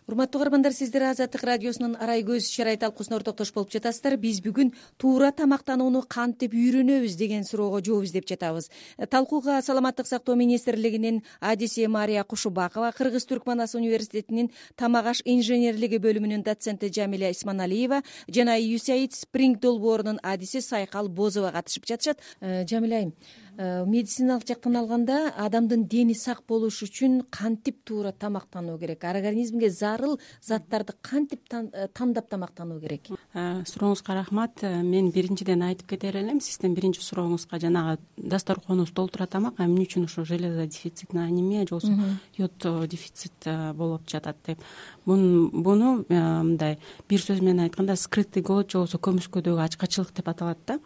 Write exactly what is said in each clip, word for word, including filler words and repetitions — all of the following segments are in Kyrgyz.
Урматтуу көрөрмандар, сиздер Азаттык радиосунун Арай көз чарай талкуусуна ортоктош болуп жатасыздар. Биз бүгүн туура тамактанууну кантип үйрөнөбүз деген суроого жооп издеп жатабыз. Талкууга Саламаттык сактоо министрлигинин адиси Мария Кушубакова, Кыргыз-Түркман ас университетинин тамак аш инженерлиги бөлүмүнүн доценти Жамиля Исманалиева жана ю эс эй ай ди Спринг долбоорунун адиси Сайкал Бозова катышып жатышат. Жамиля айым, медициналык жактан алганда адамдын дени сак болуш үчүн кантип туура тамактануу керек? Организмге зарыл заттарды кантип тандап тамактануу керек? Сурооңузга рахмат. Мен биринчиден айтып кетер элем, сиздин биринчи сурооңузга жанагы дасторконубуз толтура тамак, эмне үчүн ушул железо дефицитный анемия же болбосо йод дефицит болуп жатат деп. Буну мындай бир сөз менен айтканда скрытый голод же болбосо көмүскөдөгү ачкачылык деп аталат да.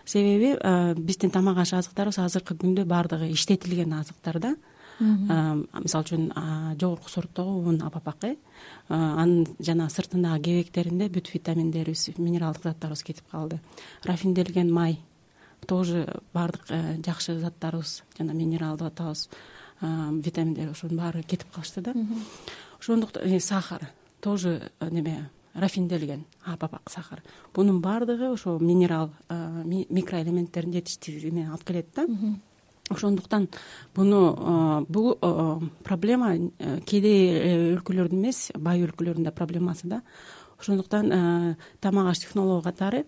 Себеби биздин тамак аш азыктарыбыз азыркы күндө баардыгы иштетилген азыктар да. Мисалы үчүн жогорку сорттогу ун, апапакы, анын жана сыртындагы кебектеринде бүт витаминдерибиз, минералдык заттарыбыз кетип калды. Рафинделген май тоже баардык жакшы заттарыбыз жана минерал деп атабыз, витаминдер ошонун баары кетип калышты да. Ошондуктан сахар тоже неме рафинделген апапак сахар. Бунун баардыгы ошо минерал, микроэлементтердин жетиштүүлүгүнө алып келет да. Ошондуктан буну бул проблема кедей өлкөлөрдүн эмес, бай өлкөлөрдүн да проблемасы да. Ошондуктан тамак аш технологу катары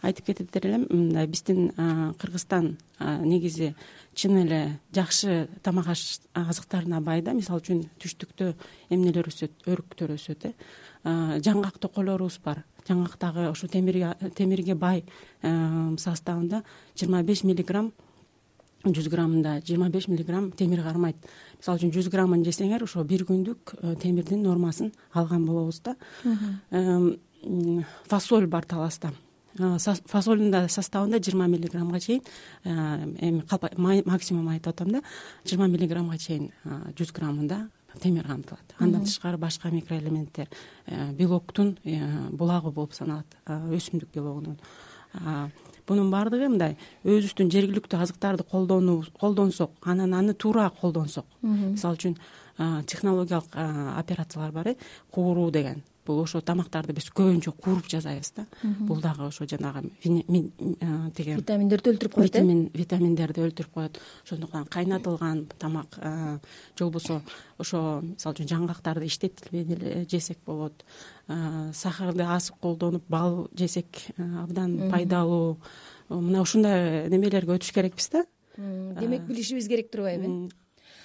айтып кетет элем, мындай биздин Кыргызстан негизи чын эле жакшы тамак аш азыктарына бай да. Мисалы үчүн түштүктө эмнелер өсөт, өрүктөр өсөт, э жаңгак токойлорубуз бар. Жаңгактагы ошо темирге темирге бай составында жыйырма беш миллиграмм, жүз граммында жыйырма беш миллиграмм темир кармайт. Мисалы үчүн жүз граммын жесеңер, ошо бир күндүк темирдин нормасын алган болобуз да. Фасоль бар таласта. Фасолдун да составында жыйырма миллиграммга чейин, эми максимум айтып атам да, жыйырма миллиграммга чейин жүз граммында темир камтылат. Андан тышкары башка микроэлементтер, белоктун булагы болуп саналат, өсүмдүк белогунун. Бунун баардыгы мындай өзүбүздүн жергиликтүү азыктарды колдонсок, анан аны туура колдонсок. Мисалы үчүн технологиялык операциялар бар, кууруу деген. Бул ошо тамактарды биз көбүнчө кууруп жасайбыз да. Бул дагы ошо жанагы деген витаминдерди өлтүрүп коет. Витаминдерди өлтүрүп коет. Ошондуктан кайнатылган тамак же болбосо ошо мисалы үчүн жаңгактарды иштетилбей эле жесек болот. Сахарды аз колдонуп бал жесек абдан пайдалуу. Мына ушундай немелерге өтүш керекпиз да. Демек билишибиз керек турбайбы?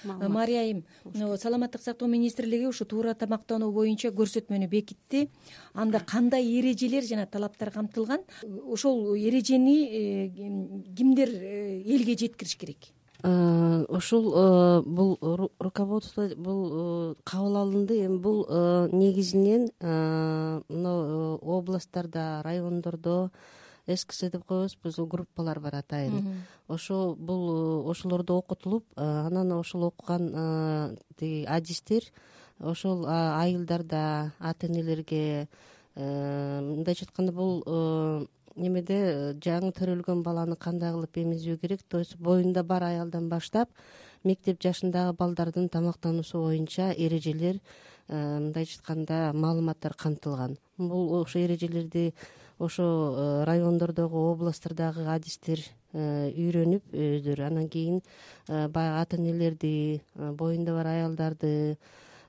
Мария айым, Саламаттык сактоо министрлиги ушу туура тамактануу боюнча көрсөтмөнү бекитти. Анда кандай эрежелер жана талаптар камтылган? Ошол эрежени кимдер элге жеткириш керек? Ошол бул руководство бул кабыл алынды. Эми бул негизинен мына областтарда, райондордо эс ка эс деп коебуз, биз группалар бар атайын. Ошо бул ошолордо окутулуп, анан ошол окуган тиги адистер ошол айылдарда ата энелерге, мындайча айтканда бул немеде жаңы төрөлгөн баланы кандай кылып эмизүү керек, то есть боюнда бар аялдан баштап мектеп жашындагы балдардын тамактануусу боюнча эрежелер, мындайча айтканда маалыматтар камтылган. Бул ошо эрежелерди ошо райондордогу, областтардагы адистер үйрөнүп өздөрү, анан кийин баягы ата энелерди, боюнда бар аялдарды,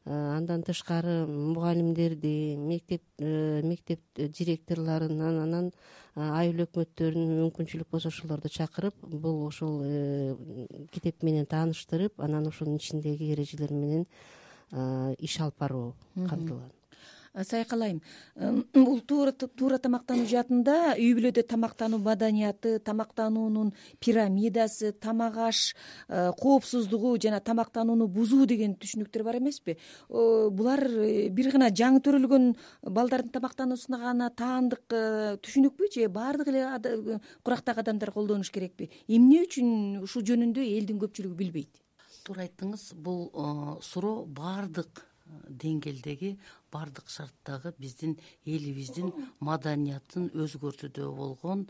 андан тышкары мугалимдерди, мектеп мектеп директорлорун, анан айыл өкмөттөрүн мүмкүнчүлүк болсо ошолорду чакырып, бул ошол китеп менен тааныштырып, анан ошонун ичиндеги эрежелер менен иш алып баруу камтылган. Сайкал айым, бул туура тамактануу жаатында үй бүлөдө тамактануу маданияты, тамактануунун пирамидасы, тамак аш коопсуздугу жана тамактанууну бузуу деген түшүнүктөр бар эмеспи? Булар бир гана жаңы төрөлгөн балдардын тамактануусуна гана таандык түшүнүкпү же баардык эле курактагы адамдар колдонуш керекпи? Эмне үчүн ушул жөнүндө элдин көпчүлүгү билбейт? Туура айттыңыз, бул суроо баардык деңгээлдеги баардык шарттагы биздин элибиздин маданиятын өзгөртүүдө болгон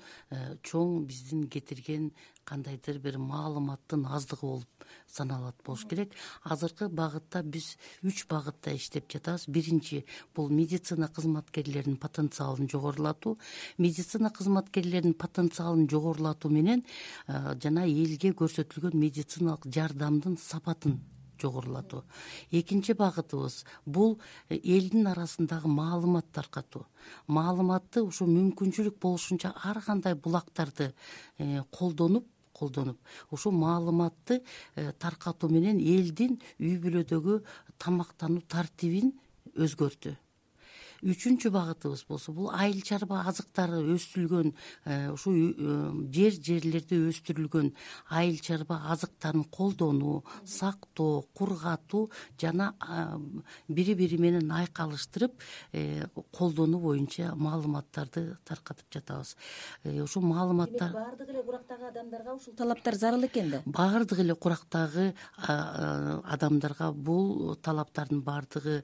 чоң биздин кетирген кандайдыр бир маалыматтын аздыгы болуп саналат болуш керек. Азыркы багытта биз үч багытта иштеп жатабыз. Биринчи бул медицина кызматкерлеринин потенциалын жогорулатуу. Медицина кызматкерлеринин потенциалын жогорулатуу менен жана элге көрсөтүлгөн медициналык жардамдын сапатын жогорулатуу. Экинчи багытыбыз бул элдин арасындагы маалымат таркатуу. Маалыматты ушу мүмкүнчүлүк болушунча ар кандай булактарды колдонуп колдонуп ушул маалыматты таркатуу менен элдин үй бүлөдөгү тамактануу тартибин өзгөртүү. Үчүнчү багытыбыз болсо бул айыл чарба азыктары өстүрүлгөн ушул жер жерлерде өстүрүлгөн айыл чарба азыктарын колдонуу, сактоо, кургатуу жана бири бири менен айкалыштырып колдонуу боюнча маалыматтарды таркатып жатабыз. Ушул маалыматтар баардык эле курактагы адамдарга ушул талаптар зарыл экен да. Баардык эле курактагы адамдарга бул талаптардын баардыгы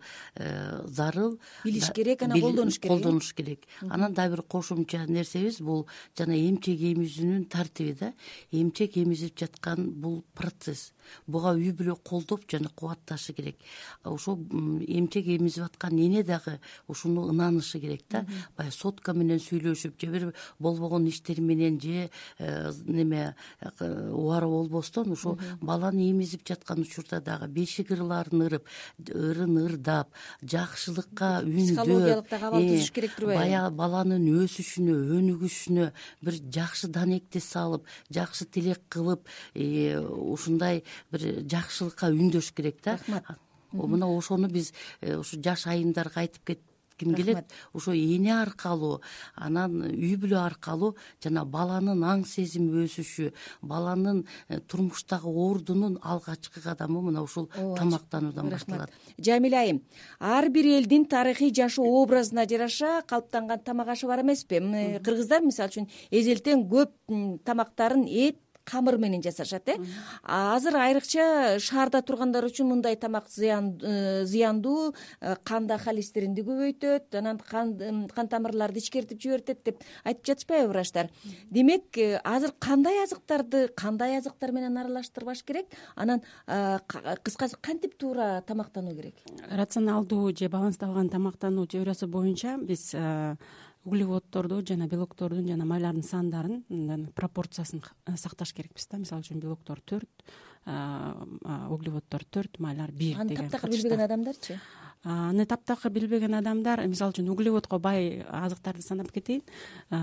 зарыл. Билиш керек, анан колдонуш керек. Колдонуш керек. Анан дагы бир кошумча нерсебиз бул жана эмчек эмизүүнүн тартиби да. Эмчек эмизип жаткан бул процесс. Буга үй бүлө колдоп жана кубатташы керек. Ошол эмчек эмизип аткан эне дагы ушуну ынанышы керек да. Баягы сотка менен сүйлөшүп же бир болбогон иштер менен же неме убара болбостон ошо баланы эмизип жаткан учурда дагы бешик ырларын ырып, ырын ырдап, жакшылыкка үндөө психологиялык да кабал түзүш керек турбайбы? Баягы баланын өсүшүнө, өнүгүшүнө бир жакшы данекти салып, жакшы тилек кылып, ушундай бир жакшылыкка үндөш керек да. Мына ошону биз ушу жаш айымдарга айтып кетким келет. Ошо эне аркылуу, анан үй бүлө аркылуу жана баланын аң сезими өсүшү, баланын турмуштагы ордунун алгачкы кадамы мына ушул тамактануудан башталат. Жамиля айым, ар бир элдин тарыхый жашоо образына жараша калыптанган тамак ашы бар эмеспи? Кыргыздар мисалы үчүн эзелтен көп тамактарын эт, камыр менен жасашат, э? Азыр айрыкча шаарда тургандар үчүн мындай тамак зыяндуу, канда холестеринди көбөйтөт, анан кан кан тамырларды ичкертип жибертет деп айтып жатышпайбы врачтар? Демек, азыр кандай азыктарды кандай азыктар менен аралаштырбаш керек? Анан кыскасы кантип туура тамактануу керек? Рационалдуу же балансталган тамактануу теориясы боюнча биз углеводдорду жана белоктордун жана майлардын сандарын, пропорциясын сакташ керекпиз да. Мисалы үчүн белоктор төрт, углеводдор төрт, майлар бир деген. Аны таптакыр билбеген адамдарчы? Аны таптакыр билбеген адамдар, мисалы үчүн углеводко бай азыктарды санап кетейин.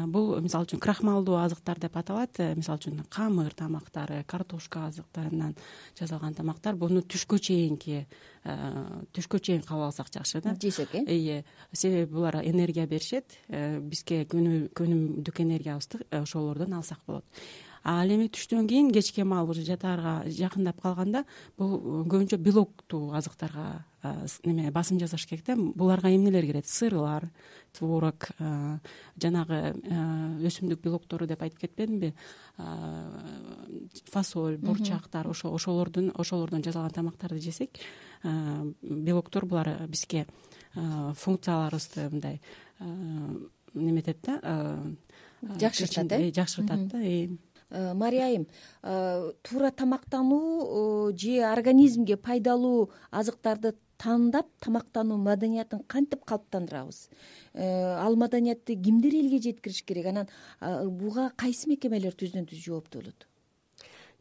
Бул мисалы үчүн крахмалдуу азыктар деп аталат. Мисалы үчүн камыр тамактары, картошка азыктарынан жасалган тамактар. Буну түшкө чейинки түшкө чейин кабыл алсак жакшы да. Жесек, э? Ие, себеби булар энергия беришет. Бизге күнүмдүк энергиябызды ошолордон алсак болот. Ал эми түштөн кийин кечке маал уже жатаарга жакындап калганда бул көбүнчө белоктуу азыктарга неме басым жасаш керек да. Буларга эмнелер кирет? Сырлар, творог, жанагы өсүмдүк белоктору деп айтып кетпедимби? Фасоль, бурчактар, ошо ошолордун ошолордон жасалган тамактарды жесек, белоктор булар бизге функцияларыбызды мындай неметет да, жакшыртат, э? Жакшыртат да. Мария айым, туура тамактануу же организмге пайдалуу азыктарды тандап тамактануу маданиятын кантип калыптандырабыз? Ал маданиятты кимдер элге жеткириш керек? Анан буга кайсы мекемелер түздөн түз жооптуу болот?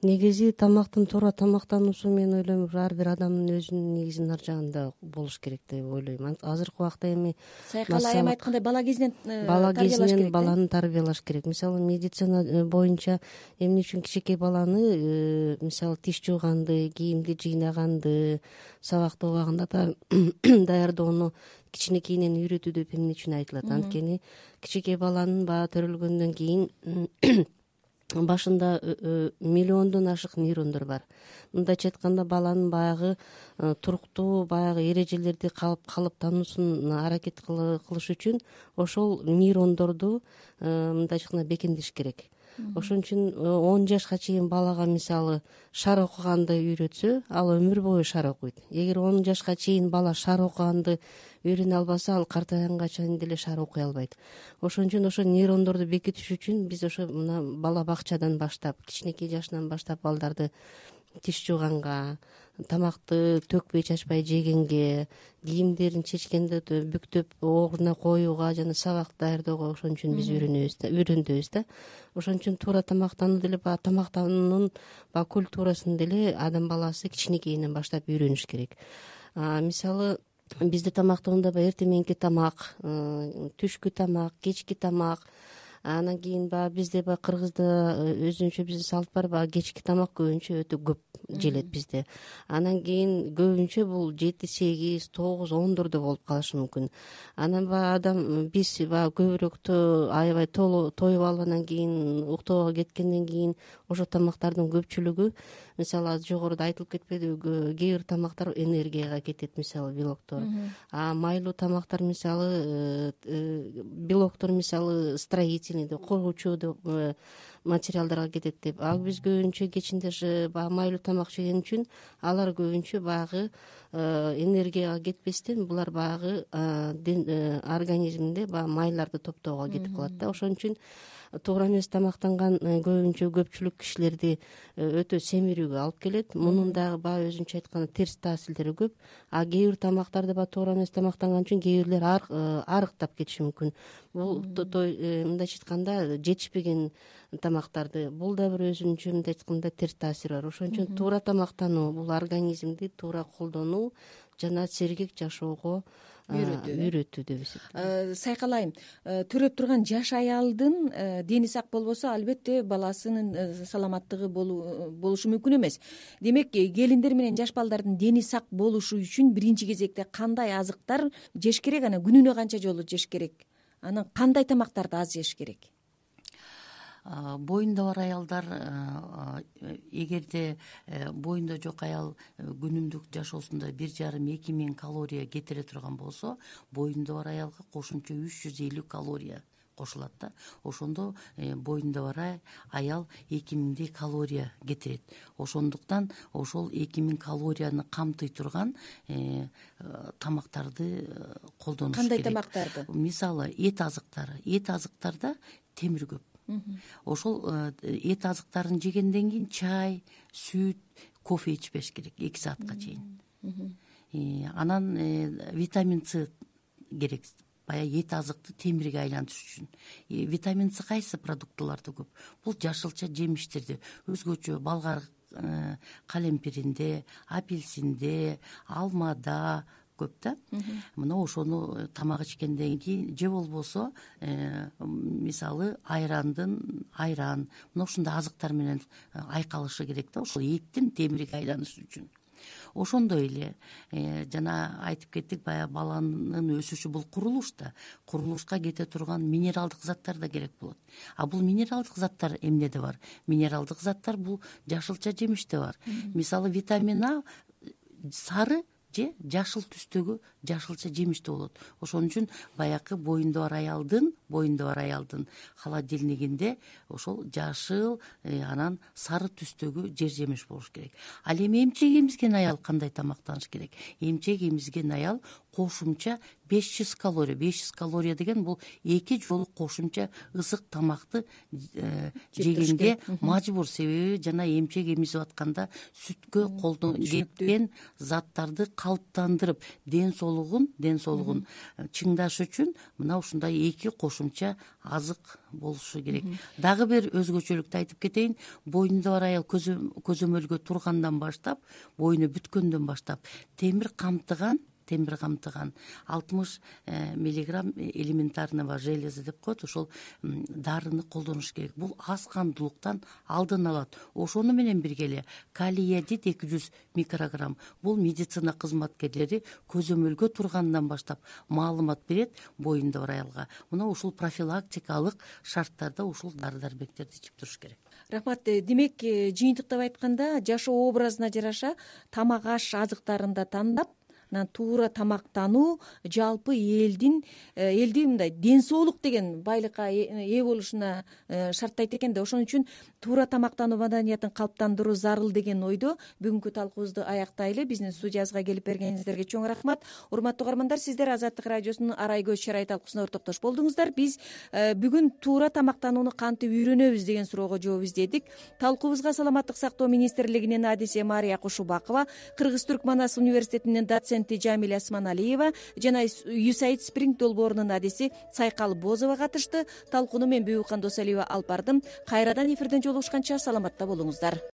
Негизи тамактын туура тамактануусу мен ойлойм ар бир адамдын өзүнүн негизинин ар жагында болуш керек деп ойлойм. Азыркы убакта эми Сайкал айым айткандай бала кезинен бала кезинен баланы тарбиялаш керек. Мисалы медицина боюнча эмне үчүн кичинекей баланы мисалы тиш жууганды, кийимди жыйнаганды, сабакты убагында даярдоону кичинекейинен үйрөтүү деп эмне үчүн айтылат? Анткени кичинекей баланын баа төрөлгөндөн кийин башында миллиондон ашык нейрондор бар. Мындайча айтканда баланын баягы туруктуу баягы эрежелерди калып таануусун аракет кылыш үчүн ошол нейрондорду мындайча айтканда бекемдеш керек. ошон үчүн он жашка чейин балага мисалы шар окуганды үйрөтсө, ал өмүр бою шар окуйт. Эгер он жашка чейин бала шар окуганды үйрөнө албаса, ал картайганга чейин деле шар окуй албайт. Ошон үчүн ошо нейрондорду бекитиш үчүн биз ошо мына бала бакчадан баштап, кичинекей жашынан баштап балдарды тиш жууганга, тамакты төкпөй чачпай жегенге, кийимдерин чечкенде бүктөп ордуна коюуга жана сабак даярдоого ошон үчүн биз үйрөнөбүз да, үйрөндөбүз да. Ошон үчүн туура тамактануу деле баягы тамактануунун баягы культурасын деле адам баласы кичинекейинен баштап үйрөнүш керек. Мисалы бизде тамактоодо баягы эртең мененки тамак, түшкү тамак, кечки тамак, анан кийин баягы бизде баягы кыргызда өзүнчө биздин салт бар, баягы кечки тамак көбүнчө өтө көп желет бизде. Анан кийин көбүнчө бул жети, сегиз, тогуз, ондордо болуп калышы мүмкүн. Анан баягы адам биз баягы көбүрөөк аябай тоюп алып анан кийин уктоого кеткенден кийин ошо тамактардын көпчүлүгү, мисалы азыр жогоруда айтылып кетпедиби, кээ бир тамактар энергияга кетет, мисалы белоктор. А майлуу тамактар мисалы белоктор мисалы строительный деп, коргоочу деп материалдарга кетет деп. А биз көбүнчө кечинде баягы майлуу тамак жеген үчүн алар көбүнчө баягы энергияга кетпестен булар баягы организмде баягы майларды топтоого кетип калат да. Ошон үчүн туура эмес тамактанган көбүнчө көпчүлүк кишилерди өтө семирүүгө алып келет. Мунун дагы баягы өзүнчө айтканда терс таасирлери көп. А кээ бир тамактарды баягы туура эмес тамактанган үчүн кээ бирлер арыктап кетиши мүмкүн. Бул мындайча айтканда жетишпеген тамактарды, бул да бир өзүнчө мындай айтканда терс таасири бар. Ошон үчүн туура тамактануу бул организмди туура колдонуу жана сергек жашоого үйрөтүү деп эсептейм. Сайкалайым, төрөп турган жаш аялдын дени сак болбосо, албетте баласынын саламаттыгы болушу мүмкүн эмес. Демек, келиндер менен жаш балдардын дени сак болушу үчүн биринчи кезекте кандай азыктар жеш керек, анан күнүнө канча жолу жеш керек? Анан кандай тамактарды аз жеш керек? Боюнда бар аялдар, эгерде боюнда жок аял күнүмдүк жашоосунда бир жарым эки миң калория кетире турган болсо, боюнда бар аялга кошумча үч жүз элүү калория кошулат да. Ошондо боюнда бар аял эки миңдей калория кетирет. Ошондуктан ошол эки миң калорияны камтый турган тамактарды колдонуш керек. Кандай тамактарды? Мисалы, эт азыктары. Эт азыктарда темир көп. Ошол эт азыктарын жегенден кийин чай, сүт, кофе ичпеш керек эки саатка чейин. Анан витамин С керек. Баягы эт азыкты темирге айлантыш үчүн. Витамин С кайсы продуктыларда көп? Бул жашылча жемиштерде, өзгөчө болгар калемпиринде, апельсинде, алмада көп да. Мына ошону тамак ичкенден кийин же болбосо мисалы айрандын айран, мына ушундай азыктар менен айкалышы керек да, ошол эттин темирге айланышы үчүн. Ошондой эле жана айтып кеттик, баягы баланын өсүшү бул курулуш да. Курулушка кете турган минералдык заттар да керек болот. А бул минералдык заттар эмнеде бар? Минералдык заттар бул жашылча жемиште бар. Мисалы витамин А сары же жашыл түстөгү жашылча жемиште болот. Ошон үчүн баягы боюнда бар аялдын, боюнда бар аялдын холодильнигинде ошол жашыл, анан сары түстөгү жер жемиш болуш керек. Ал эми эмчек эмизген аял кандай тамактаныш керек? Эмчек эмизген аял кошумча беш жүз калория. беш жүз калория деген бул эки жолу кошумча ысык тамакты жегенге мажбур. Себеби жана эмчек эмизип атканда сүткө колдон кеткен заттарды калыптандырып, ден соолугун, ден соолугун чыңдаш үчүн мына ушундай эки кошумча азык болушу керек. Дагы бир өзгөчөлүктү айтып кетейин. Боюнда бар аял көзөмөлгө тургандан баштап, боюну бүткөндөн баштап темир камтыган темир камтыган алтымыш миллиграмм элементарного железа деп коет, ошол дарыны колдонуш керек. Бул аз кандуулуктан алдын алат. Ошону менен бирге эле калий иодид эки жүз микрограмм. Бул медицина кызматкерлери көзөмөлгө тургандан баштап маалымат берет боюнда бар аялга. Мына ушул профилактикалык шарттарда ушул дары дармектерди ичип туруш керек. Рахмат. Демек, жыйынтыктап айтканда, жашоо образына жараша тамак аш азыктарын да тандап, анан туура тамактануу жалпы элдин элди мындай ден соолук деген байлыкка ээ болушуна шарттайт экен да. Ошон үчүн туура тамактануу маданиятын калыптандыруу зарыл деген ойдо бүгүнкү талкуубузду аяктайлы. Биздин студиябызга келип бергениңиздерге чоң рахмат. Урматтуу угармандар, сиздер Азаттык радиосунун Арай көз чырай талкуусуна ортоктош болдуңуздар. Биз бүгүн туура тамактанууну кантип үйрөнөбүз деген суроого жооп издедик. Талкуубузга Саламаттык сактоо министрлигинин адиси Мария Кушубакова, Кыргыз-Түрк Манас университетинин доценти Жамиля Осмоналиева жана ю эйч ай ди Спринг долбоорунун адиси Сайкал Бозова катышты. Талкууну мен Бүбүкан Досалиева алып бардым. Кайрадан эфирден жолугушканча саламатта болуңуздар.